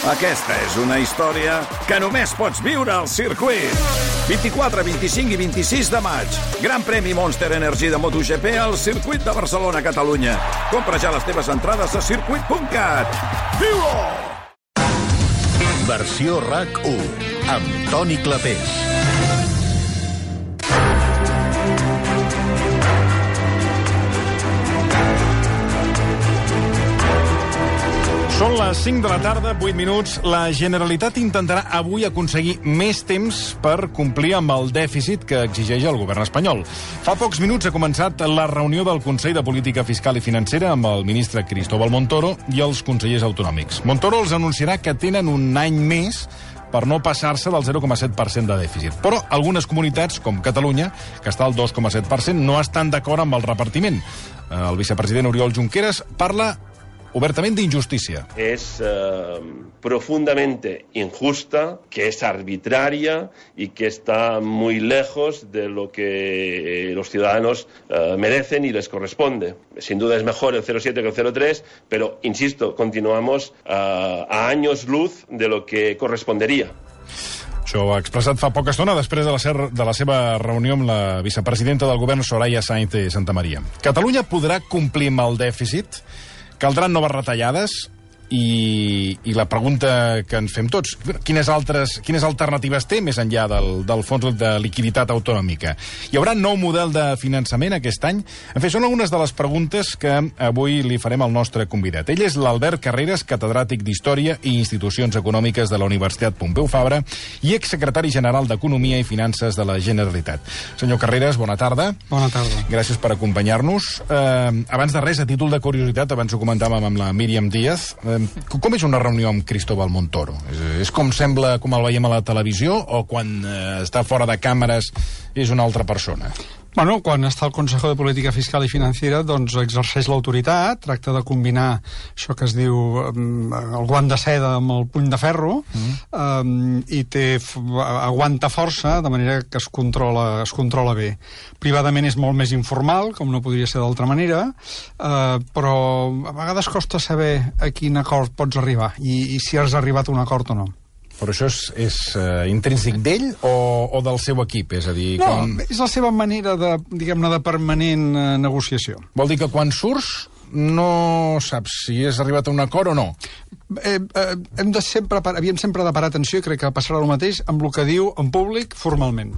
Aquesta és una història que només pots viure al circuit. 24, 25 i 26 de maig. Gran premi Monster Energy de MotoGP al circuit de Barcelona, Catalunya. Compra ja les teves entrades a circuit.cat. Viu-ho! Versió RAC1 amb Toni Clapés. Són les 5 de la tarda, 8 minuts. La Generalitat intentarà avui aconseguir més temps per complir amb el dèficit que exigeix el govern espanyol. Fa pocs minuts ha començat la reunió del Consell de Política Fiscal i Financera amb el ministre Cristóbal Montoro i els consellers autonòmics. Montoro els anunciarà que tenen un any més per no passar-se del 0,7% de dèficit. Però algunes comunitats, com Catalunya, que està al 2,7%, no estan d'acord amb el repartiment. El vicepresident Oriol Junqueras parla obertamente injusticia. Es profundamente injusta, que es arbitraria y que está muy lejos de lo que los ciudadanos merecen y les corresponde. Sin duda es mejor el 0,7 que el 0,3, pero, insisto, continuamos a años luz de lo que correspondería. Això ho ha expressat fa poca estona després de la seva reunió amb la vicepresidenta del govern, Soraya Sáenz de Santamaría. Catalunya podrà complir amb el dèficit? Caldran noves retallades? I la pregunta que ens fem tots, quines alternatives té més enllà del fons de liquiditat autonòmica? Hi haurà nou model de finançament aquest any? En fi, són algunes de les preguntes que avui li farem al nostre convidat. Ell és l'Albert Carreras, catedràtic d'Història i Institucions Econòmiques de la Universitat Pompeu Fabra i exsecretari general d'Economia i Finances de la Generalitat. Senyor Carreras, bona tarda. Bona tarda. Gràcies per acompanyar-nos. Abans de res, a títol de curiositat, abans ho comentàvem amb la Míriam Díaz, com és una reunió amb Cristóbal Montoro? És com sembla, com el veiem a la televisió, o quan està fora de càmeres és una altra persona? Bueno, quan està al Consejo de Política Fiscal i Financera, doncs exerceix l'autoritat, tracta de combinar això que es diu el guant de seda amb el puny de ferro, i aguanta força, de manera que es controla bé. Privadament és molt més informal, com no podria ser d'altra manera, però a vegades costa saber a quin acord pots arribar, i si has arribat a un acord o no. Però això és intrínsec d'ell o del seu equip? És a dir, no, és la seva manera de, diguem-ne, de permanent negociació. Vol dir que quan surts no saps si has arribat a un acord o no? Havíem sempre de parar atenció, i crec que passarà el mateix amb el que diu en públic formalment.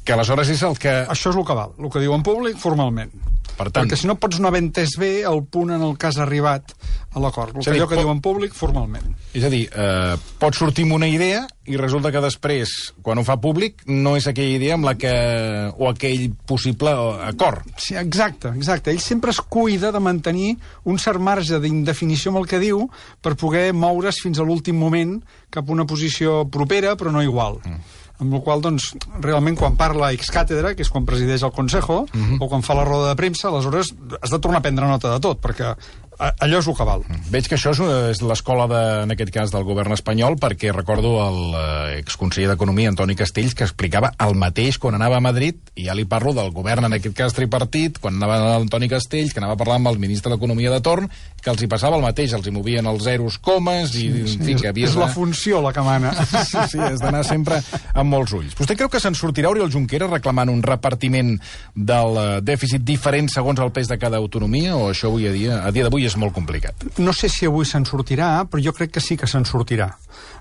Que aleshores és el que... Això és el que val, el que diu en públic formalment. Per tant, perquè si no pots no haver entès bé el punt en el que has arribat a l'acord. El que allò que diu en públic formalment. És a dir, pot sortir amb una idea i resulta que després, quan ho fa públic, no és aquella idea amb la que... o aquell possible acord. Sí, exacte. Ell sempre es cuida de mantenir un cert marge d'indefinició amb el que diu per poder moure's fins a l'últim moment cap a una posició propera, però no igual. Amb la qual cosa, doncs, realment, quan parla ex càtedra, que és quan presideix el Consejo, o quan fa la roda de premsa, aleshores has de tornar a prendre nota de tot, perquè allò és el que val. Veig que això és l'escola, en aquest cas, del govern espanyol, perquè recordo l'exconseller d'Economia, Antoni Castells, que explicava el mateix quan anava a Madrid, i ja li parlo del govern, en aquest cas tripartit, quan anava Antoni Castells, que anava a parlar amb el ministre d'Economia de torn, que els hi passava el mateix, els hi movien els zeros, comes, i en fi, que havia... És la funció la que mana. Sí, has d'anar sempre amb molts ulls. Vostè creu que se'n sortirà Oriol Junqueras reclamant un repartiment del dèficit diferent segons el pes de cada autonomia, o això avui a dia d'avui és molt complicat? No sé si avui se'n sortirà, però jo crec que sí que se'n sortirà.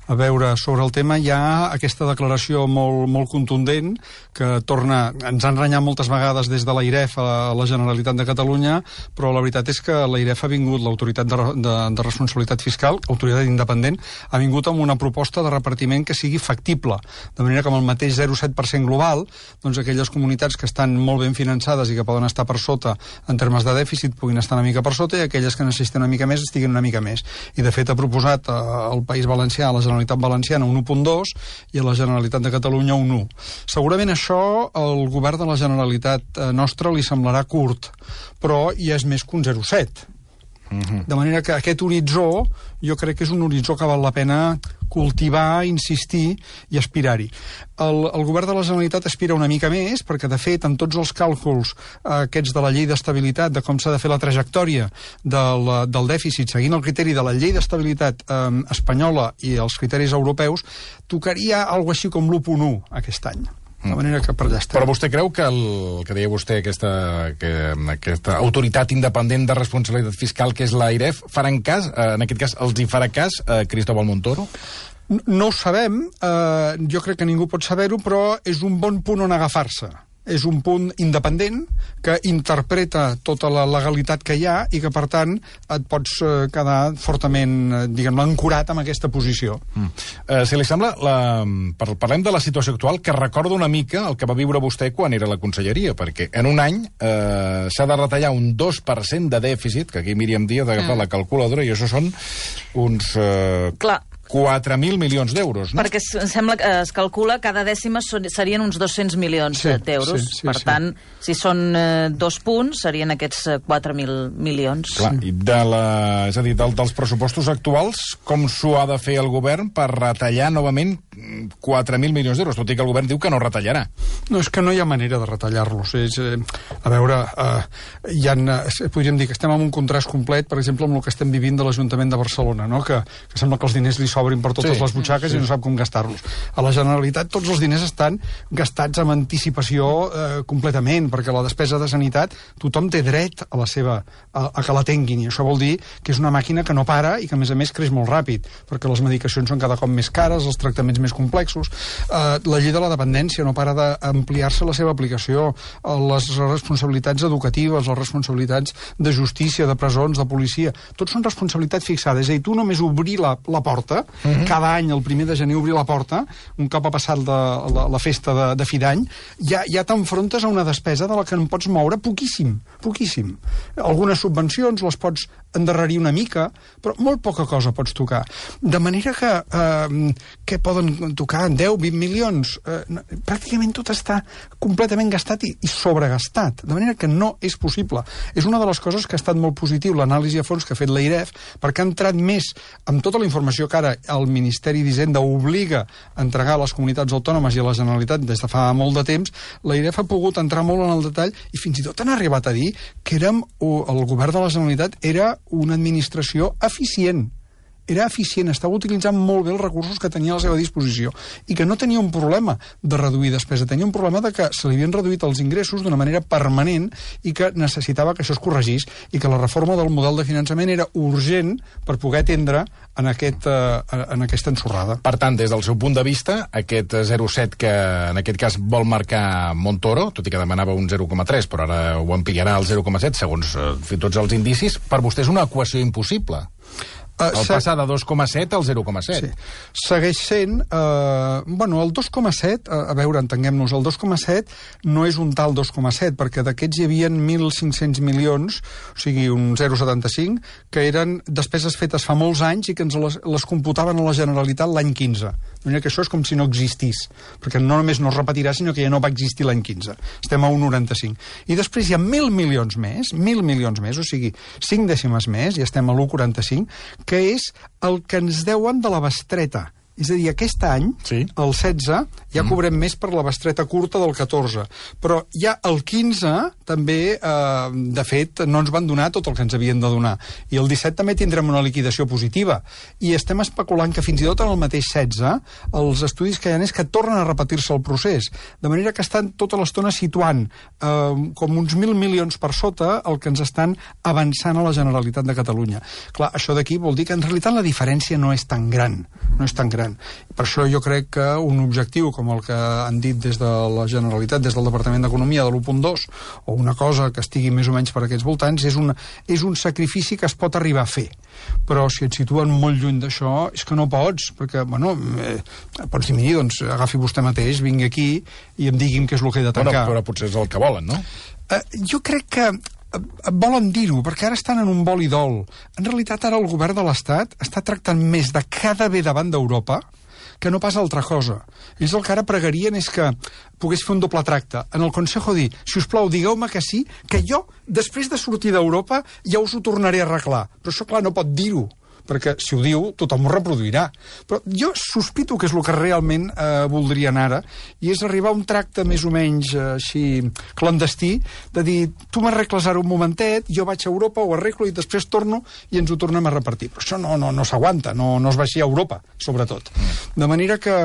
A veure, sobre el tema hi ha aquesta declaració molt contundent que ens han renyat moltes vegades des de l'AIREF a la Generalitat de Catalunya, però la veritat és que l'AIREF ha vingut, l'autoritat de responsabilitat fiscal, autoritat independent, ha vingut amb una proposta de repartiment que sigui factible, de manera que amb el mateix 0,7% global, doncs aquelles comunitats que estan molt ben finançades i que poden estar per sota en termes de dèficit puguin estar una mica per sota, i aquelles que necessiten una mica més estiguin una mica més. I de fet ha proposat al País Valencià, a la Generalitat Valenciana, un 1,2 i a la Generalitat de Catalunya un 1. Segurament això al govern de la Generalitat nostra li semblarà curt, però ja és més que un 0,7. De manera que aquest horitzó jo crec que és un horitzó que val la pena cultivar, insistir i aspirar-hi. El govern de la Generalitat aspira una mica més, perquè, de fet, en tots els càlculs aquests de la llei d'estabilitat, de com s'ha de fer la trajectòria del dèficit, seguint el criteri de la llei d'estabilitat espanyola i els criteris europeus, tocaria alguna així com l'1.1 aquest any. De manera que per allà estem. Però vostè creu que el que deia vostè, aquesta autoritat independent de responsabilitat fiscal que és l'AIREF, faran cas, en aquest cas, els hi farà cas a Cristóbal Montoro? No ho sabem, jo crec que ningú pot saber-ho, però és un bon punt on agafar-se. És un punt independent que interpreta tota la legalitat que hi ha i que, per tant, et pots quedar fortament, diguem-ne, ancorat amb aquesta posició. Si li sembla, parlem de la situació actual, que recorda una mica el que va viure vostè quan era a la conselleria, perquè en un any s'ha de retallar un 2% de dèficit, que aquí Míriam Díaz ha agafat la calculadora, i això són uns... Clar. 4.000 milions d'euros, no? Perquè sembla que es calcula cada dècima serien uns 200 milions d'euros. Per tant, si són 2 punts, serien aquests 4.000 milions. Clar, i és a dir, dels pressupostos actuals, com s'ho ha de fer el govern per retallar novament 4.000 milions d'euros? Tot i que el govern diu que no retallarà. No, és que no hi ha manera de retallar-los. A veure, podríem dir que estem en un contrast complet, per exemple, amb el que estem vivint de l'Ajuntament de Barcelona, no? que sembla que els diners li s'obrin per totes les butxaques i no sap com gastar-los. A la Generalitat tots els diners estan gastats amb anticipació completament, perquè la despesa de sanitat tothom té dret a que la tinguin, i això vol dir que és una màquina que no para i que, a més creix molt ràpid, perquè les medicacions són cada cop més cares, els tractaments més complexos. La llei de la dependència no para d'ampliar-se la seva aplicació, les responsabilitats educatives, les responsabilitats de justícia, de presons, de policia, tots són responsabilitats fixades. És a dir, tu només obrir la porta, cada any, el 1 de gener, obrir la porta, un cop ha passat la festa de fi d'any, ja t'enfrontes a una despesa de la que en pots moure poquíssim. Algunes subvencions les pots endarrerir una mica, però molt poca cosa pots tocar. De manera que poden tocar 10-20 milions. Pràcticament tot està completament gastat i sobregastat, de manera que no és possible. És una de les coses que ha estat molt positiu, l'anàlisi a fons que ha fet l'AIREF, perquè ha entrat més amb tota la informació que ara el Ministeri d'Hisenda obliga a entregar a les comunitats autònomes i a la Generalitat des de fa molt de temps. L'AIREF ha pogut entrar molt en el detall i fins i tot han arribat a dir que el govern de la Generalitat era una administració eficient. Era eficient, estava utilitzant molt bé els recursos que tenia a la seva disposició i que no tenia un problema de reduir despesa, tenia un problema de que se li havien reduït els ingressos d'una manera permanent i que necessitava que això es corregís i que la reforma del model de finançament era urgent per poder atendre en aquesta ensorrada. Per tant, des del seu punt de vista, aquest 0,7 que en aquest cas vol marcar Montoro, tot i que demanava un 0,3, però ara ho ampliarà al 0,7 segons tots els indicis, per vostè és una equació impossible. Passar de 2,7 al 0,7. Sí. Segueix sent... el 2,7, a veure, entenguem-nos, el 2,7 no és un tal 2,7, perquè d'aquests hi havia 1.500 milions, o sigui, un 0,75, que eren despeses fetes fa molts anys i que ens les computaven a la Generalitat l'any 15. Doncs que això és com si no existís, perquè no només no es repetirà, sinó que ja no va existir l'any 15. Estem a 1,95. I després hi ha 1.000 milions més, o sigui, 5 dècimes més, i estem a l'1,45, que és el que ens deuen de la bestreta. És a dir, aquest any, el 16, ja cobrem més per la bestreta curta del 14. Però ja el 15, també, de fet, no ens van donar tot el que ens havien de donar. I el 17 també tindrem una liquidació positiva. I estem especulant que fins i tot en el mateix 16, els estudis que hi ha és que tornen a repetir-se el procés. De manera que estan tota l'estona situant com uns 1.000 milions per sota el que ens estan avançant a la Generalitat de Catalunya. Clar, això d'aquí vol dir que en realitat la diferència no és tan gran. Per això jo crec que un objectiu com el que han dit des de la Generalitat, des del Departament d'Economia, de l'1.2, o una cosa que estigui més o menys per aquests voltants, és un sacrifici que es pot arribar a fer. Però si et situen molt lluny d'això, és que no pots, perquè, pots dir, doncs agafi vostè mateix, vingui aquí i em digui'm què és el que he de tancar. Però potser és el que volen, no? Jo crec que volen dir-ho, perquè ara estan en un vol i dol. En realitat, ara el govern de l'Estat està tractant més de cada bé davant d'Europa que no pas altra cosa. Ells el que ara pregarien és que pogués fer un doble tracte. En el Consejo dir, si us plau, digueu-me que sí, que jo, després de sortir d'Europa, ja us ho tornaré a arreglar. Però això, clar, no pot dir-ho, perquè si ho diu, tothom ho reproduirà. Però jo sospito que és el que realment voldrien ara, i és arribar a un tracte més o menys així clandestí, de dir, tu m'arregles ara un momentet, jo vaig a Europa, ho arreglo i després torno i ens ho tornem a repartir. Però això no s'aguanta, no es va així a Europa, sobretot. De manera que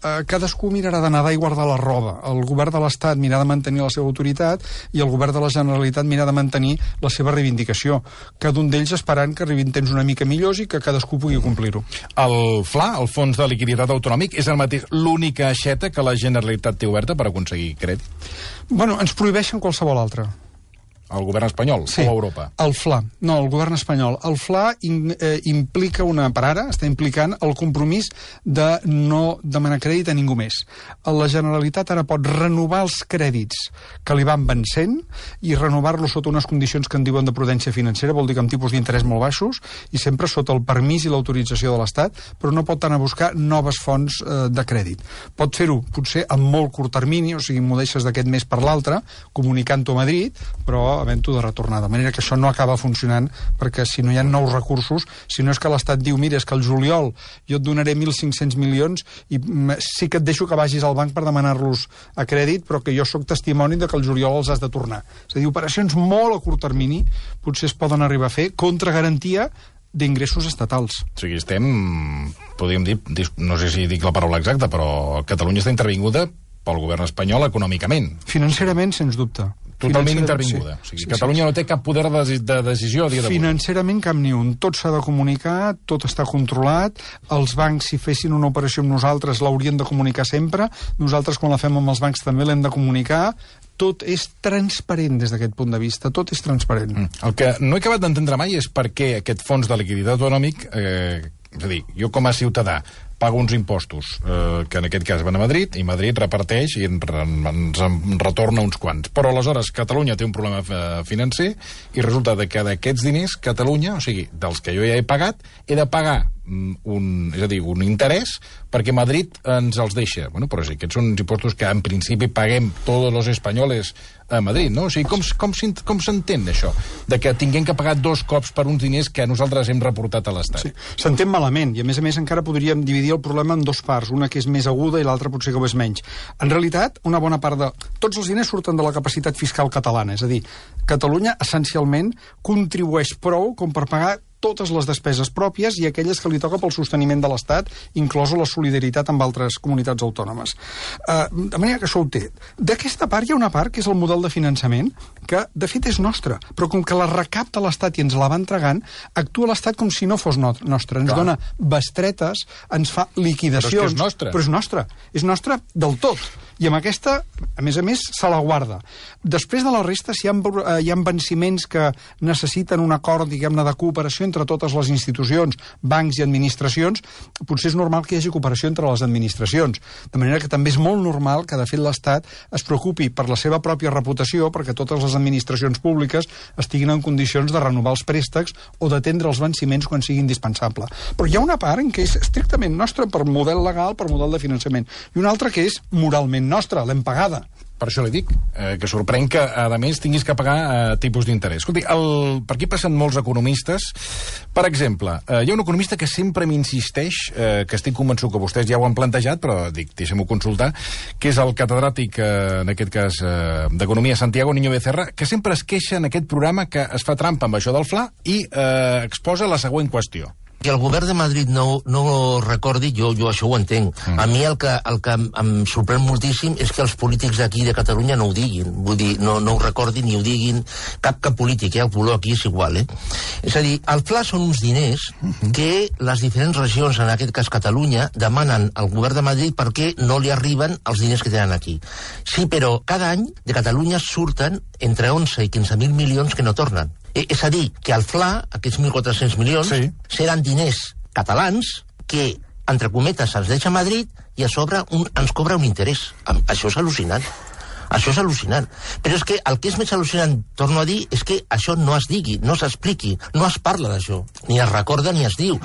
cadascú mirarà de nedar i guardar la roba. El govern de l'Estat mirarà de mantenir la seva autoritat i el govern de la Generalitat mirarà de mantenir la seva reivindicació. Cada un d'ells esperant que arribin temps una mica millors i que cadascú pugui complir-ho. El FLA, el Fons de Liquiditat Autonòmic, és el mateix l'única aixeta que la Generalitat té oberta per aconseguir crèdit? Bueno, ens prohibeixen qualsevol altra. El govern espanyol o Europa? El FLA. No, el govern espanyol. El FLA implica per ara, està implicant el compromís de no demanar crèdit a ningú més. La Generalitat ara pot renovar els crèdits que li van vencent i renovar-los sota unes condicions que en diuen de prudència financera, vol dir que amb tipus d'interès molt baixos i sempre sota el permís i l'autorització de l'Estat, però no pot anar a buscar noves fonts de crèdit. Pot fer-ho, potser, en molt curt termini, o sigui, m'ho deixes d'aquest mes per l'altre, comunicant-ho a Madrid, però havent-ho de retornar, de manera que això no acaba funcionant, perquè si no hi ha nous recursos, si no és que l'Estat diu, mira, és que el juliol jo et donaré 1.500 milions i sí que et deixo que vagis al banc per demanar-los a crèdit, però que jo sóc testimoni de que el juliol els has de tornar. És a dir, operacions molt a curt termini potser es poden arribar a fer contra garantia d'ingressos estatals. O sigui, podríem dir, no sé si dic la paraula exacta, però Catalunya està intervinguda pel govern espanyol econòmicament. Financerament, sens dubte. Totalment intervinguda. Sí. O sigui, Catalunya no té cap poder de decisió a dia d'avui. Financerament cap ni un. Tot s'ha de comunicar, tot està controlat. Els bancs, si fessin una operació amb nosaltres, l'haurien de comunicar sempre. Nosaltres, quan la fem amb els bancs, també l'hem de comunicar. Tot és transparent des d'aquest punt de vista. Tot és transparent. El que no he acabat d'entendre mai és per què aquest fons de liquiditat autonòmic, és a dir, jo com a ciutadà pago uns impostos, que en aquest cas van a Madrid, i Madrid reparteix i ens retorna uns quants. Però aleshores Catalunya té un problema financer i resulta que d'aquests diners Catalunya, o sigui, dels que jo ja he pagat, he de pagar un interès perquè Madrid ens els deixa. Bueno, però sí, aquests són uns impostos que en principi paguem tots els espanyoles a Madrid, no? O sigui, com s'entén això? De que tinguem que pagar dos cops per uns diners que nosaltres hem reportat a l'Estat. Sí, s'entén malament, i a més encara podríem dividir el problema en dues parts, una que és més aguda i l'altra potser que ho és menys. En realitat, una bona part de... Tots els diners surten de la capacitat fiscal catalana, és a dir, Catalunya essencialment contribueix prou com per pagar totes les despeses pròpies i aquelles que li toca pel sosteniment de l'Estat, inclosa la solidaritat amb altres comunitats autònomes. De manera que això ho té. D'aquesta part hi ha una part que és el model de finançament, que de fet és nostre, però com que la recapta l'Estat i ens la va entregant, actua l'Estat com si no fos nostra. Ens dona bestretes, ens fa liquidacions... Però és que és nostra. Però és nostra. És nostra del tot. I amb aquesta, a més, se la guarda. Després de la resta, si hi ha venciments que necessiten un acord, diguem-ne, de cooperació entre totes les institucions, bancs i administracions, potser és normal que hi hagi cooperació entre les administracions. De manera que també és molt normal que, de fet, l'Estat es preocupi per la seva pròpia reputació, perquè totes les administracions públiques estiguin en condicions de renovar els préstecs o d'atendre els venciments quan sigui indispensable. Però hi ha una part en què és estrictament nostra per model legal, per model de finançament, i una altra que és moralment nostra, l'hem pagada. Per això li dic, que sorprèn que, a més, tinguis que pagar tipus d'interès. Escolti, per aquí passen molts economistes. Per exemple, hi ha un economista que sempre m'insisteix, que estic convençut que vostès ja ho han plantejat, però dic, deixem-ho consultar, que és el catedràtic, en aquest cas, d'Economia, Santiago Niño Becerra, que sempre es queixa en aquest programa que es fa trampa amb això del FLA i exposa la següent qüestió. Que el govern de Madrid no recordi, jo això ho entenc. A mi el que em sorprèn moltíssim és que els polítics d'aquí de Catalunya no ho diguin. Vull dir, no ho recordin ni ho diguin cap polític, el color aquí és igual, És a dir, el FLA són uns diners que les diferents regions, en aquest cas Catalunya, demanen al govern de Madrid perquè no li arriben els diners que tenen aquí. Sí, però cada any de Catalunya surten entre 11 i 15.000 milions que no tornen. És a dir, que el FLA, aquests 1.400 milions, seran diners catalans que, entre cometes, els deixa a Madrid i a sobre ens cobra un interès. Això és al·lucinant. Això és al·lucinant. Però és que el que és més al·lucinant, torno a dir, és que això no es digui, no s'expliqui, no es parla d'això. Ni es recorda ni es diu.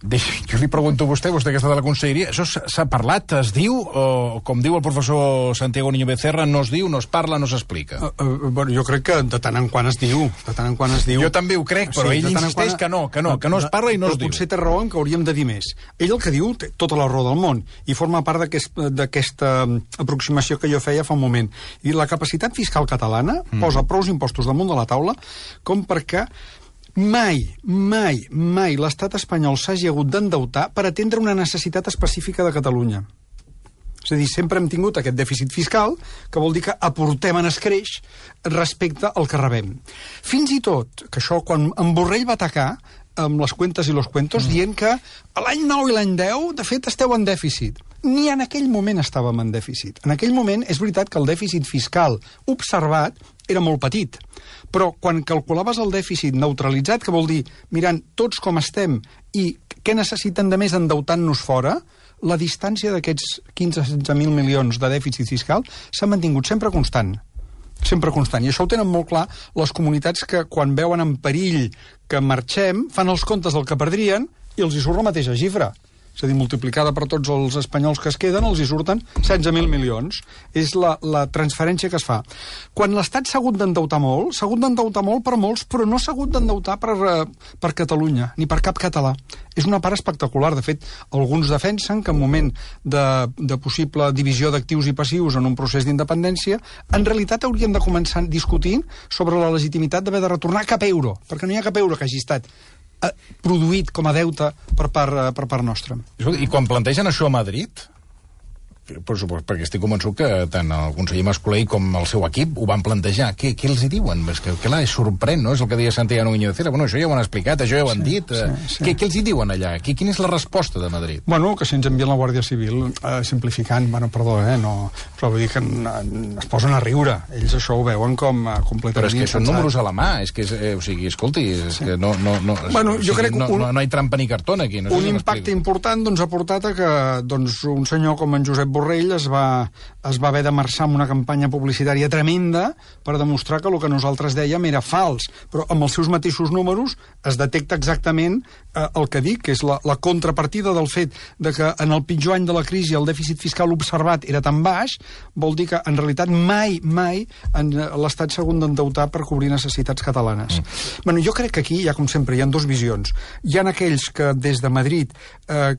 Jo li pregunto a vostè que està de la conselleria, això s'ha parlat, es diu, o com diu el professor Santiago Niño Becerra, no es diu, no es parla, no s'explica? Bueno, jo crec que de tant en quant es diu, Jo també ho crec, però ell insisteix que no es parla i no es diu. Potser té raó en que hauríem de dir més. Ell el que diu té tota la raó del món, i forma part d'aquesta aproximació que jo feia fa un moment. I la capacitat fiscal catalana posa prous impostos damunt de la taula com perquè mai l'estat espanyol s'hagi hagut d'endeutar per atendre una necessitat específica de Catalunya. És a dir, sempre hem tingut aquest dèficit fiscal, que vol dir que aportem en escreix respecte al que rebem. Fins i tot, que això, quan en Borrell va atacar amb les cuentes i los cuentos, dient que l'any 9 i l'any 10, de fet, esteu en dèficit. Ni en aquell moment estàvem en dèficit. En aquell moment és veritat que el dèficit fiscal observat era molt petit, però quan calculaves el dèficit neutralitzat, que vol dir mirant tots com estem i què necessiten de més endeutant-nos fora, la distància d'aquests 15-16.000 milions de dèficit fiscal s'ha mantingut sempre constant. Sempre constant. I això ho tenen molt clar les comunitats que, quan veuen en perill que marxem, fan els comptes del que perdrien i els hi surt la mateixa xifra. És a dir, multiplicada per tots els espanyols que es queden, els hi surten 16.000 milions. És la transferència que es fa. Quan l'Estat s'ha hagut d'endeutar molt per molts, però no s'ha hagut d'endeutar per Catalunya, ni per cap català. És una part espectacular. De fet, alguns defensen que en moment de possible divisió d'actius i passius en un procés d'independència, en realitat hauríem de començar discutint sobre la legitimitat d'haver de retornar cap euro, perquè no hi ha cap euro que hagi estat produït com a deute per part nostra. I quan plantegen això a Madrid, perquè estic convençut que tant el conseller Mas-Colell com el seu equip ho van plantejar. Què els hi diuen? És que clar, és sorprèn, no? És el que deia Santiago Niño Becerra. Bueno, això ja ho han explicat, això ja ho han dit. Què els hi diuen allà? Quina és la resposta de Madrid? Bueno, que si ens envien la Guàrdia Civil, simplificant, perdó, no, però vull dir que es posen a riure. Ells això ho veuen com completament... Però és que són números a la mà, és que, o sigui, escolti, és que no... Bueno, jo crec que no hi ha trampa ni cartón aquí. Un impacte important ha portat a que un senyor com en Josep Borrell es va haver de marxar amb una campanya publicitària tremenda per demostrar que el que nosaltres dèiem era fals, però amb els seus mateixos números es detecta exactament el que dic, que és la contrapartida del fet de que en el pitjor any de la crisi el dèficit fiscal observat era tan baix, vol dir que en realitat mai l'Estat s'ha hagut d'endeutar per cobrir necessitats catalanes. Bueno, jo crec que aquí hi ha, com sempre, hi ha dues visions. Hi ha aquells que des de Madrid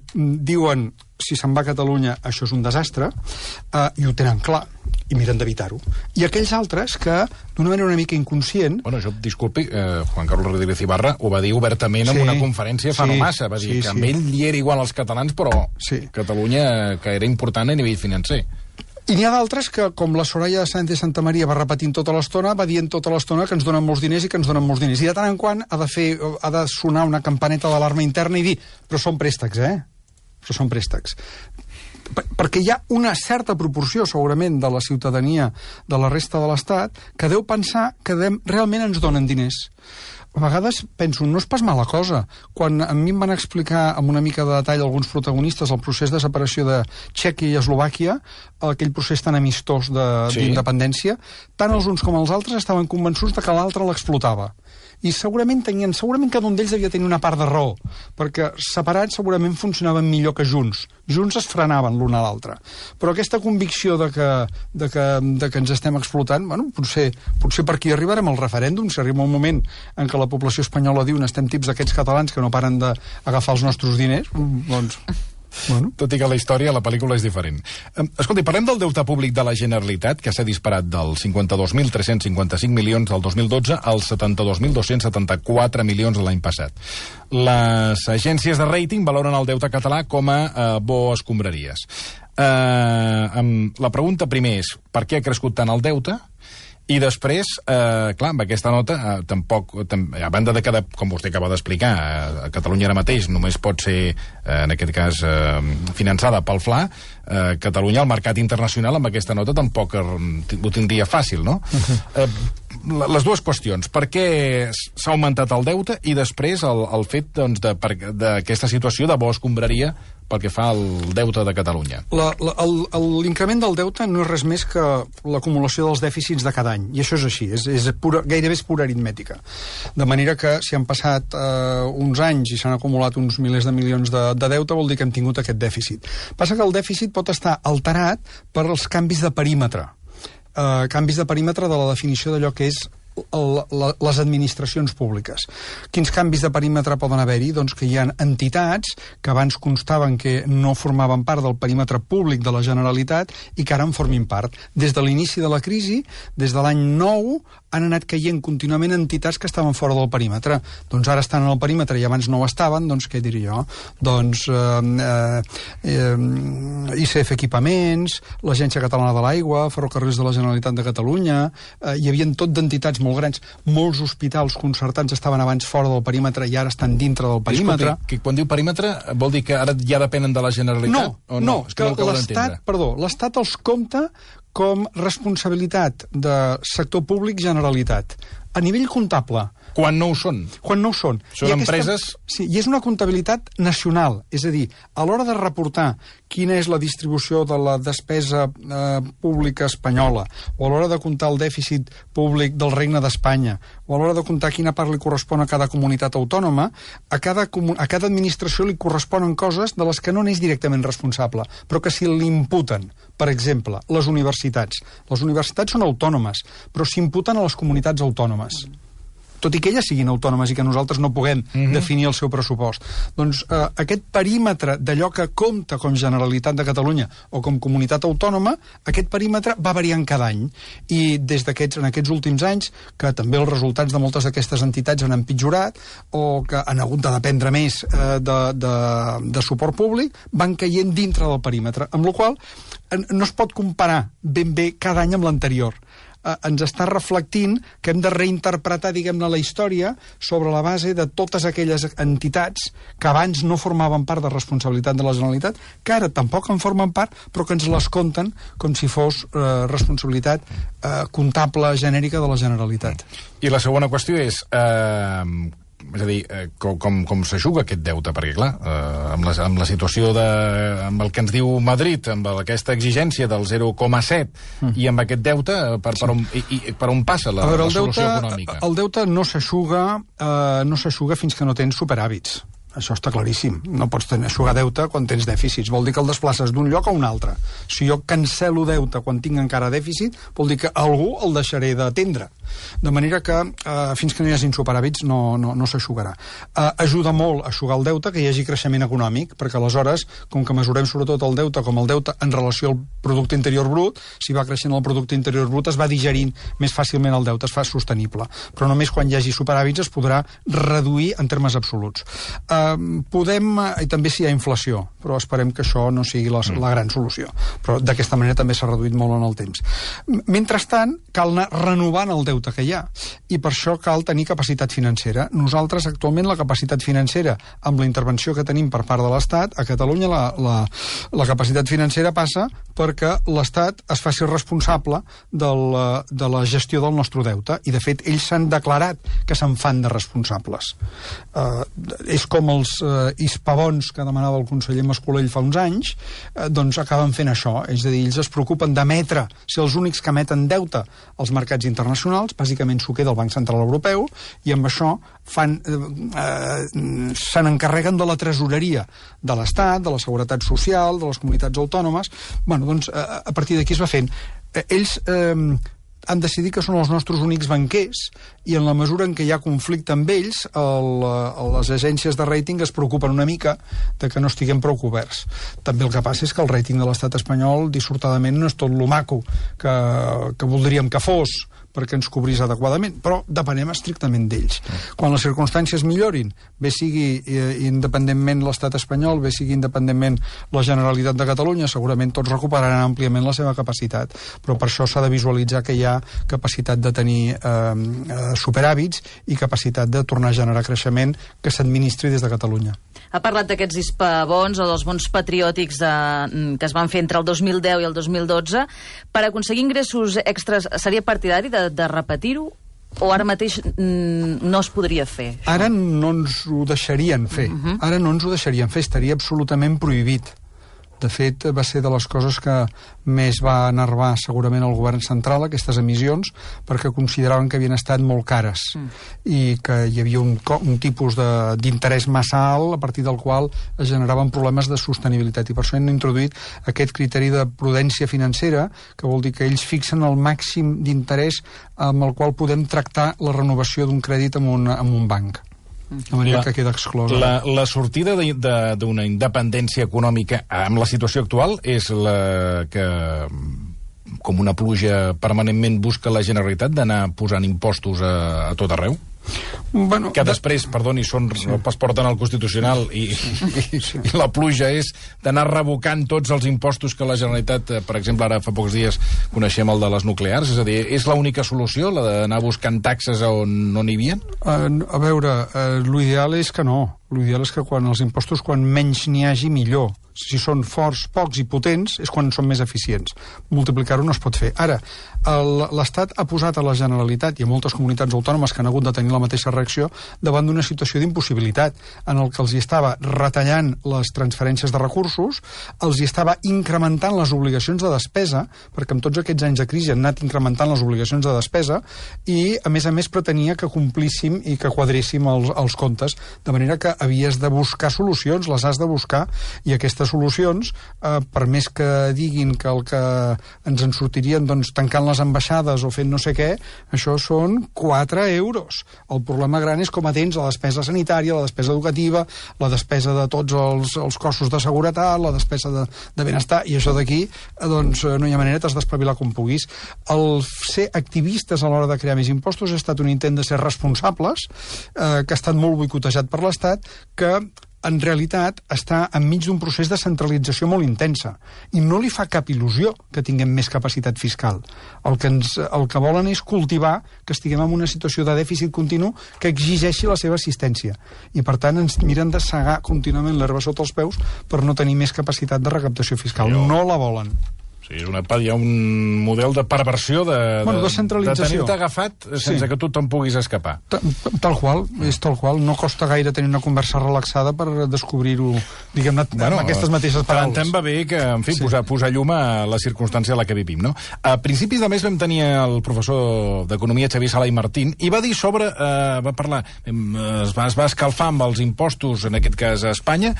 diuen si se'n va a Catalunya això és un desastre, i ho tenen clar, i miren d'evitar-ho. I aquells altres que, d'una manera una mica inconscient... Bueno, això, disculpi, Juan Carlos Rodríguez Ibarra ho va dir obertament en una conferència fa no massa, va dir que amb ell li era igual als catalans, però Catalunya, que era important a nivell financer. I n'hi ha d'altres que, com la Soraya Sáenz de Santamaría va repetint tota l'estona, va dient tota l'estona que ens donen molts diners i que ens donen molts diners. I de tant en quant ha de sonar una campaneta d'alarma interna i dir, però són préstecs, però són préstecs. Perquè hi ha una certa proporció, segurament, de la ciutadania de la resta de l'Estat que deu pensar que realment ens donen diners. A vegades penso, no és pas mala cosa. Quan a mi em van explicar amb una mica de detall alguns protagonistes el procés de separació de Txèquia i Eslovàquia, aquell procés tan amistós d'independència, tant els uns com els altres estaven convençuts de que l'altre l'explotava. I segurament cada un d'ells devia tenir una part de raó, perquè separats segurament funcionaven millor que junts. Junts es frenaven l'un a l'altre. Però aquesta convicció de que ens estem explotant, bueno, potser per aquí arribarem al referèndum, si arriba un moment en què la població espanyola diu estem tips d'aquests catalans que no paren d'agafar els nostres diners, doncs... Bueno. Tot i que la història, la pel·lícula és diferent. Escolti, parlem del deute públic de la Generalitat, que s'ha disparat dels 52.355 milions del 2012 als 72.274 milions de l'any passat. Les agències de rating valoren el deute català com a bo escombraries. La pregunta primer és, per què ha crescut tant el deute? I després, clar, amb aquesta nota, tampoc, a banda de que, com vostè acaba d'explicar, Catalunya ara mateix només pot ser, en aquest cas, finançada pel FLA, Catalunya, el mercat internacional amb aquesta nota tampoc ho tindria fàcil, no? Les dues qüestions. Per què s'ha augmentat el deute i després el fet d'aquesta situació de bo escombraria pel que fa al deute de Catalunya? L'increment del deute no és res més que l'acumulació dels dèficits de cada any, i això és així, gairebé és pura aritmètica. De manera que si han passat uns anys i s'han acumulat uns milers de milions de deute, vol dir que hem tingut aquest dèficit. Passa que el dèficit pot estar alterat per els canvis de perímetre. Canvis de perímetre de la definició d'allò que és les administracions públiques. Quins canvis de perímetre poden haver-hi? Doncs que hi ha entitats que abans constaven que no formaven part del perímetre públic de la Generalitat i que ara en formin part. Des de l'inici de la crisi, des de l'any 9, han anat caient contínuament entitats que estaven fora del perímetre. Doncs ara estan en el perímetre i abans no ho estaven, doncs què diré jo? Doncs ICF Equipaments, l'Agència Catalana de l'Aigua, Ferrocarrils de la Generalitat de Catalunya, hi havia tot d'entitats molt grans. Molts hospitals concertats estaven abans fora del perímetre i ara estan dintre del perímetre. Que quan diu perímetre vol dir que ara ja depenen de la Generalitat? No, que l'Estat els compta com responsabilitat de sector públic Generalitat. A nivell comptable. Quan no ho són. Quan no ho són. Són empreses... Sí, i és una comptabilitat nacional. És a dir, a l'hora de reportar quina és la distribució de la despesa pública espanyola, o a l'hora de comptar el dèficit públic del Regne d'Espanya, o a l'hora de comptar quina part li correspon a cada comunitat autònoma, a cada administració li corresponen coses de les que no n'és directament responsable, però que si l'imputen, per exemple, les universitats. Les universitats són autònomes, però s'imputen a les comunitats autònomes. Tot i que elles siguin autònomes i que nosaltres no puguem definir el seu pressupost. Doncs aquest perímetre d'allò que compta com Generalitat de Catalunya o com comunitat autònoma, aquest perímetre va variant cada any. I en aquests últims anys, que també els resultats de moltes d'aquestes entitats han empitjorat o que han hagut de dependre més de suport públic, van caient dintre del perímetre. Amb la qual cosa no es pot comparar ben bé cada any amb l'anterior. Ens està reflectint que hem de reinterpretar, diguem-ne, la història sobre la base de totes aquelles entitats que abans no formaven part de responsabilitat de la Generalitat, que ara tampoc en formen part, però que ens les compten com si fos responsabilitat comptable genèrica de la Generalitat. I la segona qüestió és a dir, com s'ajuga aquest deute? Perquè, clar, amb la situació amb el que ens diu Madrid, amb aquesta exigència del 0,7 i amb aquest deute, per on passa la solució econòmica? El deute no s'ajuga fins que no tens superàvits. Això està claríssim. No pots eixugar deute quan tens dèficits. Vol dir que el desplaces d'un lloc a un altre. Si jo cancelo deute quan tinc encara dèficit, vol dir que algú el deixaré d'atendre. De manera que fins que no hi hagin superàvits no s'eixugarà. Ajuda molt a eixugar el deute que hi hagi creixement econòmic, perquè aleshores, com que mesurem sobretot el deute com el deute en relació al producte interior brut, si va creixent el producte interior brut es va digerint més fàcilment el deute, es fa sostenible. Però només quan hi hagi superàvits es podrà reduir en termes absoluts. I també si hi ha inflació, però esperem que això no sigui la gran solució. Però d'aquesta manera també s'ha reduït molt en el temps. Mentrestant, cal anar renovant el deute que hi ha, i per això cal tenir capacitat financera. Nosaltres, actualment, la capacitat financera, amb la intervenció que tenim per part de l'Estat, a Catalunya la capacitat financera passa perquè l'Estat es faci responsable de la gestió del nostre deute, i de fet ells s'han declarat que se'n fan de responsables. És com els hispabons que demanava el conseller Mascolell fa uns anys, doncs acaben fent això, és a dir, ells es preocupen d'emetre, ser els únics que emeten deute als mercats internacionals, bàsicament s'ho queda el Banc Central Europeu, i amb això se n'encarreguen de la tresoreria de l'Estat, de la Seguretat Social, de les comunitats autònomes. Bueno, doncs a partir d'aquí es va fent. Ells han decidit que són els nostres únics banquers, i en la mesura en què hi ha conflicte amb ells, les agències de rating es preocupen una mica de que no estiguem prou coberts. També el que passa és que el rating de l'estat espanyol, dissortadament, no és tot lo maco que voldríem que fos, perquè ens cobrís adequadament, però depenem estrictament d'ells. Quan les circumstàncies millorin, bé sigui independentment l'estat espanyol, bé sigui independentment la Generalitat de Catalunya, segurament tots recuperaran àmpliament la seva capacitat, però per això s'ha de visualitzar que hi ha capacitat de tenir superàvits i capacitat de tornar a generar creixement que s'administri des de Catalunya. Ha parlat d'aquests hispabons o dels bons patriòtics que es van fer entre el 2010 i el 2012. Per aconseguir ingressos extras, seria partidari de repetir-ho? O ara mateix no es podria fer? Això? Ara no ens ho deixarien fer. Ara no ens ho deixarien fer, estaria absolutament prohibit. De fet, va ser de les coses que més va enervar segurament el govern central, aquestes emissions, perquè consideraven que havien estat molt cares i que hi havia un tipus d'interès massa alt a partir del qual es generaven problemes de sostenibilitat. I per això han introduït aquest criteri de prudència financera, que vol dir que ells fixen el màxim d'interès amb el qual podem tractar la renovació d'un crèdit amb un banc. De manera que queda exclosa. La sortida d'una independència econòmica amb la situació actual és la que, com una pluja permanentment, busca la Generalitat d'anar posant impostos a tot arreu? Bueno, que després, perdoni, es porten al Constitucional i la pluja és d'anar revocant tots els impostos que la Generalitat, per exemple, ara fa pocs dies coneixem el de les nuclears, és a dir, és l'única solució, la d'anar buscant taxes on no n'hi havia? A veure, l'ideal és que no. L'ideal és que els impostos, quan menys n'hi hagi, millor. Si són forts, pocs i potents, és quan són més eficients. Multiplicar-ho no es pot fer. Ara, l'Estat ha posat a la Generalitat i a moltes comunitats autònomes que han hagut de tenir la mateixa reacció davant d'una situació d'impossibilitat en el que els hi estava retallant les transferències de recursos, els hi estava incrementant les obligacions de despesa, perquè amb tots aquests anys de crisi han anat incrementant les obligacions de despesa i, a més, pretenia que complíssim i que quadréssim els comptes, de manera que havies de buscar solucions, les has de buscar, i aquestes solucions, per més que diguin que el que ens en sortirien tancant les ambaixades o fent no sé què, això són 4 euros. El problema gran és com atens la despesa sanitària, la despesa educativa, la despesa de tots els cossos de seguretat, la despesa de benestar, i això d'aquí, no hi ha manera, t'has d'espavilar com puguis. El ser activistes a l'hora de crear més impostos ha estat un intent de ser responsables, que ha estat molt boicotejat per l'Estat, que en realitat està enmig d'un procés de centralització molt intensa i no li fa cap il·lusió que tinguem més capacitat fiscal. El que volen és cultivar que estiguem en una situació de dèficit continu que exigeixi la seva assistència i, per tant, ens miren de segar contínuament l'herba sota els peus per no tenir més capacitat de recaptació fiscal. No la volen. Sí, hi ha un model de perversió de centralització. De tenir-te agafat sense que tu te'n puguis escapar. Tal qual, és tal qual. No costa gaire tenir una conversa relaxada per descobrir-ho, diguem-ne, amb aquestes mateixes paraules. Tant va bé que, en fi, posar llum a la circumstància en la que vivim, no? A principis de mes vam tenir el professor d'Economia, Xavier Sala i Martín, i va dir va parlar, es va escalfar amb els impostos, en aquest cas a Espanya,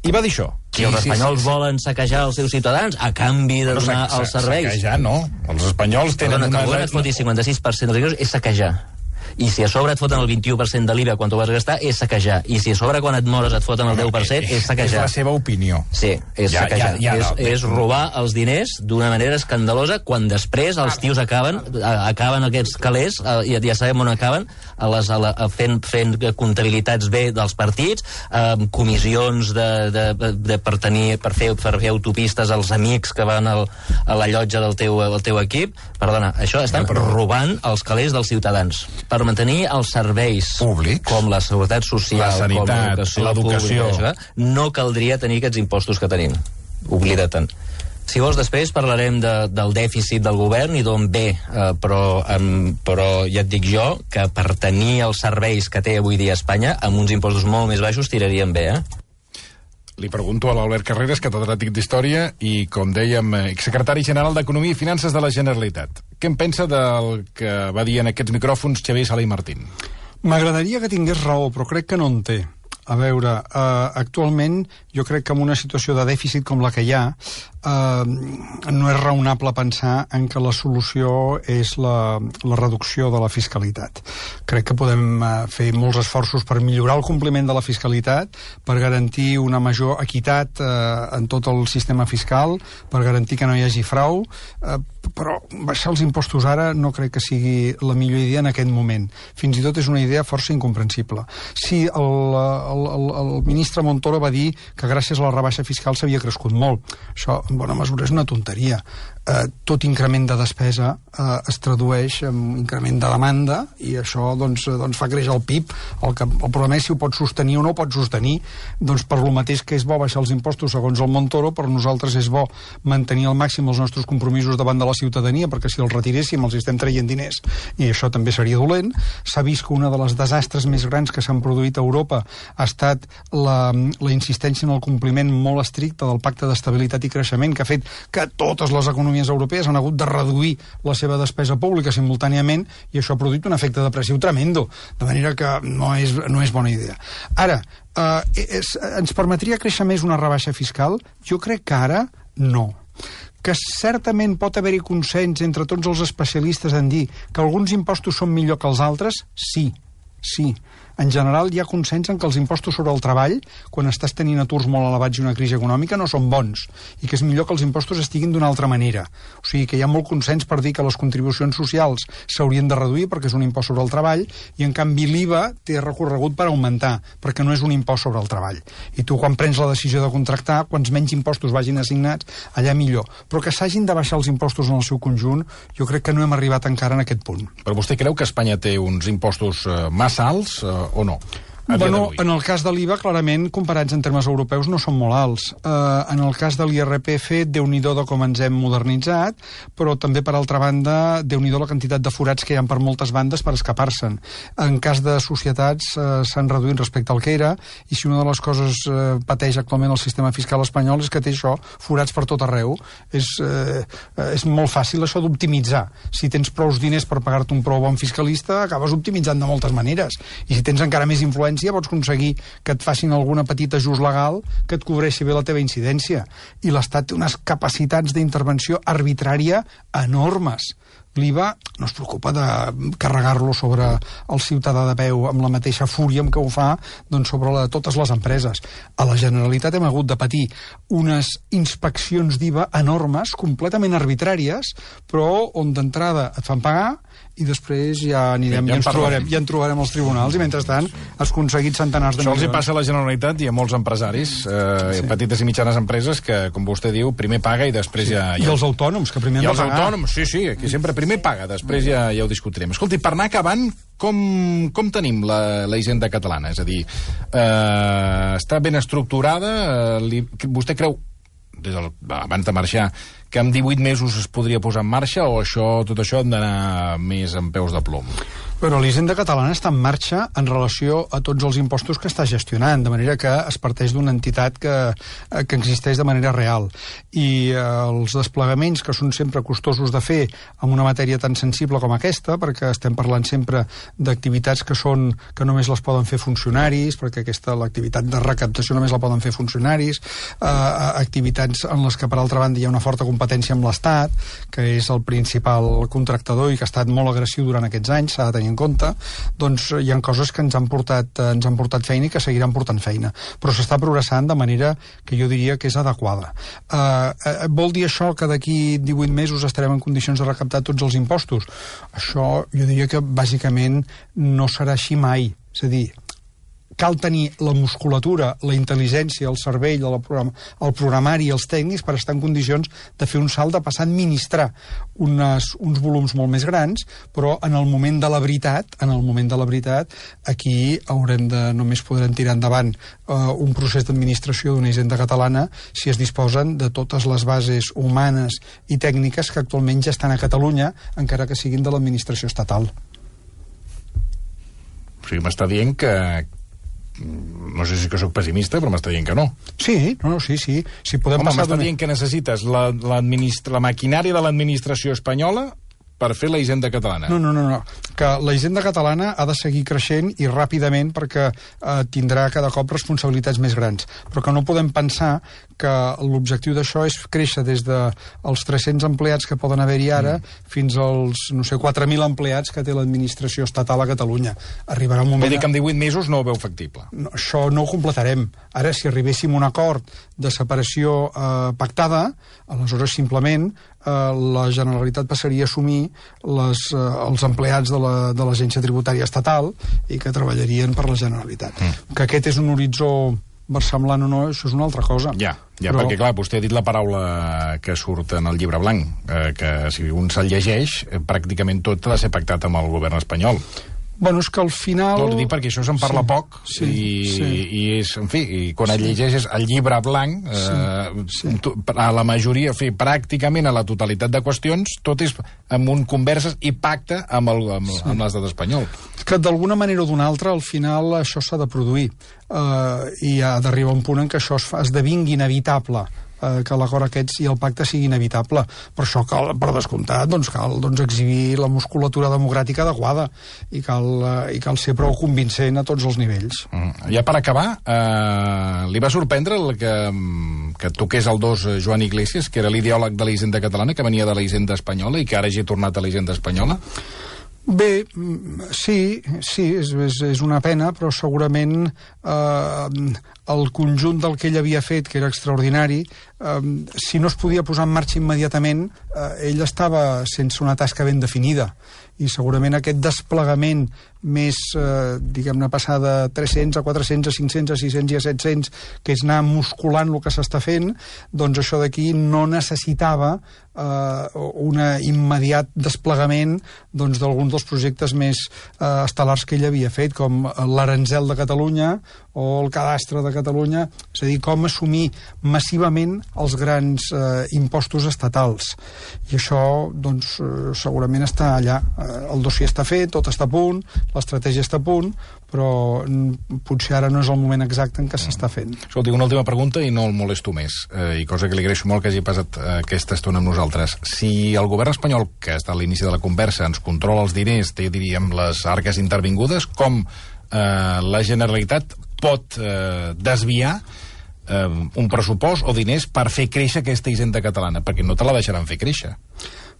i va dir això. Si els espanyols volen saquejar els seus ciutadans a canvi de donar els serveis... Saquejar no. Els espanyols tenen una... Que el govern et foti 56% dels ingressos és saquejar. I si a sobre et foten el 21% de l'IVA quan t'ho vas gastar, és saquejar. I si a sobre quan et mores et foten el 10%, és saquejar. És la seva opinió. Sí, és saquejar. És robar els diners d'una manera escandalosa quan després els tios acaben aquests calés, ja sabem on acaben, fent comptabilitats bé dels partits, comissions per fer autopistes als amics que van a la llotja del teu equip. Perdona, això estan robant els calés dels ciutadans per mantenir els serveis públics, com la seguretat social, la sanitat, l'educació. No caldria tenir aquests impostos que tenim. Oblida-te'n. Si vols, després parlarem del dèficit del govern i d'on ve, però ja et dic jo que per tenir els serveis que té avui dia Espanya, amb uns impostos molt més baixos tiraríem bé, Li pregunto a l'Albert Carreras, catedràtic d'Història i, com dèiem, exsecretari general d'Economia i Finances de la Generalitat. Què en pensa del que va dir en aquests micròfons Xavier Sala i Martín? M'agradaria que tingués raó, però crec que no en té. A veure, actualment jo crec que en una situació de dèficit com la que hi ha no és raonable pensar en que la solució és la reducció de la fiscalitat. Crec que podem fer molts esforços per millorar el compliment de la fiscalitat, per garantir una major equitat en tot el sistema fiscal, per garantir que no hi hagi frau, però baixar els impostos ara no crec que sigui la millor idea en aquest moment. Fins i tot és una idea força incomprensible. Sí, el ministre Montoro va dir que gràcies a la rebaixa fiscal s'havia crescut molt. Això, en bona mesura, és una tonteria. Tot increment de despesa es tradueix en increment de demanda i això doncs fa créixer el PIB. El problema és si ho pots sostenir o no ho pots sostenir. Doncs per lo mateix que és bo baixar els impostos segons el Montoro, per nosaltres és bo mantenir al màxim els nostres compromisos davant de la ciutadania, perquè si els retiréssim els estem traient diners i això també seria dolent. S'ha vist que una de les desastres més grans que s'han produït a Europa ha estat la insistència en el compliment molt estricte del Pacte d'Estabilitat i Creixement, que ha fet que totes les economies europees han hagut de reduir la seva despesa pública simultàniament i això ha produït un efecte depressiu tremendo, de manera que no és bona idea. Ara, ens permetria créixer més una rebaixa fiscal? Jo crec que ara no. Que certament pot haver-hi consens entre tots els especialistes en dir que alguns impostos són millor que els altres? Sí. En general hi ha consens en que els impostos sobre el treball, quan estàs tenint aturs molt elevats i una crisi econòmica, no són bons, i que és millor que els impostos estiguin d'una altra manera. O sigui que hi ha molt consens per dir que les contribucions socials s'haurien de reduir perquè és un impost sobre el treball, i en canvi l'IVA té recorregut per augmentar, perquè no és un impost sobre el treball. I tu, quan prens la decisió de contractar, quants menys impostos vagin assignats, allà millor. Però que s'hagin de baixar els impostos en el seu conjunt, jo crec que no hem arribat encara en aquest punt. Però vostè creu que Espanya té uns impostos massa alts o no? Bueno, en el cas de l'IVA, clarament, comparats en termes europeus, no són molt alts. En el cas de l'IRPF, Déu-n'hi-do de com ens hem modernitzat, però també, per altra banda, Déu-n'hi-do la quantitat de forats que hi ha per moltes bandes per escapar-se'n. En cas de societats s'han reduït respecte al que era, i si una de les coses pateix actualment el sistema fiscal espanyol és que té això, forats per tot arreu. És molt fàcil això d'optimitzar. Si tens prous diners per pagar-te un prou bon fiscalista, acabes optimitzant de moltes maneres. I si tens encara més influència, pots aconseguir que et facin alguna petita ajust legal que et cobreixi bé la teva incidència. I l'Estat té unes capacitats d'intervenció arbitrària enormes. L'IVA no es preocupa de carregar-lo sobre el ciutadà de peu amb la mateixa fúria amb què ho fa sobre totes les empreses. A la Generalitat hem hagut de patir unes inspeccions d'IVA enormes, completament arbitràries, però on d'entrada et fan pagar i després ja anirem, ja en trobarem als tribunals, i mentrestant has aconseguit centenars de milions. Això els hi passa a la Generalitat i a molts empresaris, petites i mitjanes empreses, que, com vostè diu, primer paga i després ja... I els autònoms, que primer han de pagar. I els autònoms, sí, aquí sempre primer paga, després ja ho discutirem. Escolti, per anar acabant, com tenim la hisenda catalana? És a dir, està ben estructurada? Vostè creu, abans de marxar, que en 18 mesos es podria posar en marxa, o tot això hem d'anar més en peus de plom? Però l'hisenda catalana està en marxa en relació a tots els impostos que està gestionant, de manera que es parteix d'una entitat que existeix de manera real. I els desplegaments, que són sempre costosos de fer en una matèria tan sensible com aquesta, perquè estem parlant sempre d'activitats que només les poden fer funcionaris, perquè l'activitat de recaptació només la poden fer funcionaris, activitats en les que, per altra banda, hi ha una forta competència amb l'Estat, que és el principal contractador i que ha estat molt agressiu durant aquests anys, s'ha de tenir en compte, doncs hi ha coses que ens han portat feina i que seguiran portant feina, però s'està progressant de manera que jo diria que és adequada. Vol dir això que d'aquí 18 mesos estarem en condicions de recaptar tots els impostos? Això jo diria que bàsicament no serà així mai. És a dir, cal tenir la musculatura, la intel·ligència, el cervell, el programari i els tècnics per estar en condicions de fer un salt, de passar a administrar uns volums molt més grans, però en el moment de la veritat, aquí només podrem tirar endavant un procés d'administració d'una hisenda catalana si es disposen de totes les bases humanes i tècniques que actualment ja estan a Catalunya, encara que siguin de l'administració estatal. O sigui, m'està dient que no sé si que soc pessimista, però m'està dient que no. Sí. Si podem m'està dient que necessites la maquinària de l'administració espanyola per fer la hisenda catalana. No. Que la hisenda catalana ha de seguir creixent i ràpidament perquè tindrà cada cop responsabilitats més grans. Però que no podem pensar que l'objectiu d'això és créixer des dels 300 empleats que poden haver-hi ara fins als, 4.000 empleats que té l'administració estatal a Catalunya. Arribarà un moment... Vol dir que en 18 mesos no ho veu factible. No, això no ho completarem. Ara, si arribéssim a un acord de separació pactada, aleshores simplement la Generalitat passaria a assumir els empleats de l'Agència Tributària Estatal i que treballarien per la Generalitat. Que aquest és un horitzó versemblant o no, això és una altra cosa. Ja, perquè clar, vostè ha dit la paraula que surt en el llibre blanc, que si un se'l llegeix, pràcticament tot ha de ser pactat amb el govern espanyol. Bueno, és que al final... Vol dir perquè això se'n parla poc i és, en fi, i quan et llegeixes el llibre blanc, a la majoria, en fi, pràcticament a la totalitat de qüestions, tot és amb un converses i pacte amb l'estat espanyol. Que d'alguna manera o d'una altra, al final, això s'ha de produir. I ha d'arribar un punt en què això esdevingui inevitable, que l'acord aquest i el pacte sigui inevitable. Per això cal, per descomptat, cal exhibir la musculatura democràtica adequada i cal ser prou convincent a tots els nivells. Ja per acabar, li va sorprendre que toqués el 2 Joan Iglesias, que era l'ideòleg de la hisenda catalana, que venia de la hisenda espanyola i que ara hagi tornat a la hisenda espanyola? Bé, sí, és una pena, però segurament el conjunt del que ell havia fet, que era extraordinari, si no es podia posar en marxa immediatament, ell estava sense una tasca ben definida. I segurament aquest desplegament més, diguem-ne, passar de 300 a 400 a 500 a 600 i a 700, que és anar musculant el que s'està fent, doncs això d'aquí no necessitava un immediat desplegament d'alguns dels projectes més estel·lars que ell havia fet, com l'Aranzel de Catalunya o el Cadastre de Catalunya, és a dir, com assumir massivament els grans impostos estatals. I això, doncs, segurament està allà. El dossier està fet, tot està a punt, l'estratègia està a punt, però potser ara no és el moment exacte en què s'està fent. Escolti, una última pregunta i no el molesto més, i cosa que li agraeixo molt que hagi passat aquesta estona amb nosaltres. Si el govern espanyol, que està a l'inici de la conversa, ens controla els diners, té, diríem, les arques intervingudes, com la Generalitat pot desviar un pressupost o diners per fer créixer aquesta hisenda catalana? Perquè no te la deixaran fer créixer.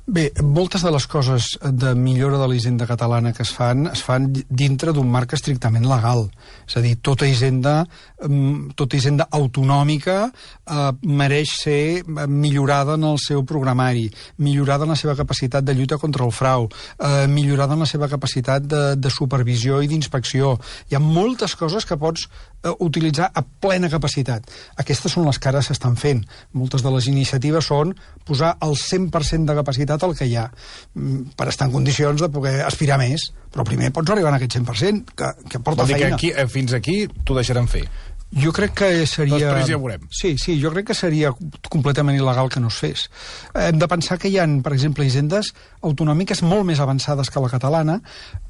Bé, moltes de les coses de millora de la hisenda catalana que es fan dintre d'un marc estrictament legal. És a dir, tota hisenda autonòmica mereix ser millorada en el seu programari, millorada en la seva capacitat de lluita contra el frau, millorada en la seva capacitat de supervisió i d'inspecció. Hi ha moltes coses que pots utilitzar a plena capacitat. Aquestes són les que ara s'estan fent. Moltes de les iniciatives són posar el 100% de capacitat al que hi ha, per estar en condicions de poder aspirar més. Però primer pots arribar a aquest 100%, que porta feina. Vol dir que fins aquí t'ho deixaran fer? Jo crec que seria... Després ja ho veurem. Sí, jo crec que seria completament il·legal que no es fes. Hem de pensar que hi ha, per exemple, hisendes autonòmiques molt més avançades que la catalana,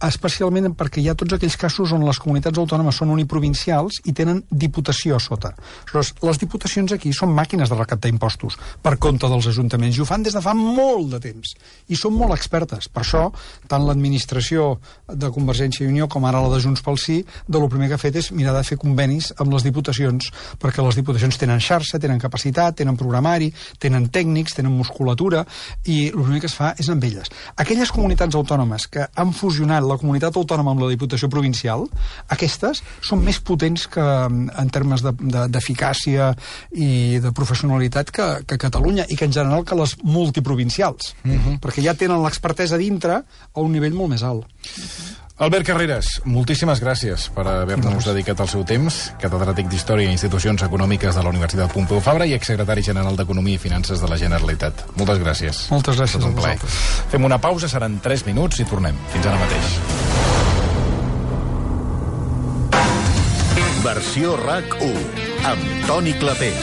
especialment perquè hi ha tots aquells casos on les comunitats autònomes són uniprovincials i tenen diputació a sota. Les diputacions aquí són màquines de recaptar impostos per compte dels ajuntaments i ho fan des de fa molt de temps. I són molt expertes. Per això, tant l'administració de Convergència i Unió com ara la de Junts pel Sí, el primer que ha fet és mirar de fer convenis amb les diputacions, perquè les diputacions tenen xarxa, tenen capacitat, tenen programari, tenen tècnics, tenen musculatura, i el primer que es fa és amb elles. Aquelles comunitats autònomes que han fusionat la comunitat autònoma amb la diputació provincial, aquestes són més potents que en termes d'eficàcia i de professionalitat que Catalunya, i que en general que les multiprovincials, perquè ja tenen l'expertesa dintre a un nivell molt més alt. Albert Carreras, moltíssimes gràcies per haver-nos dedicat el seu temps, catedràtic d'Història i Institucions Econòmiques de la Universitat Pompeu Fabra i exsecretari general d'Economia i Finances de la Generalitat. Moltes gràcies. Moltes gràcies a vosaltres. Fem una pausa, seran 3 minuts i tornem. Fins ara mateix. Versió RAC 1, amb Toni Clapés.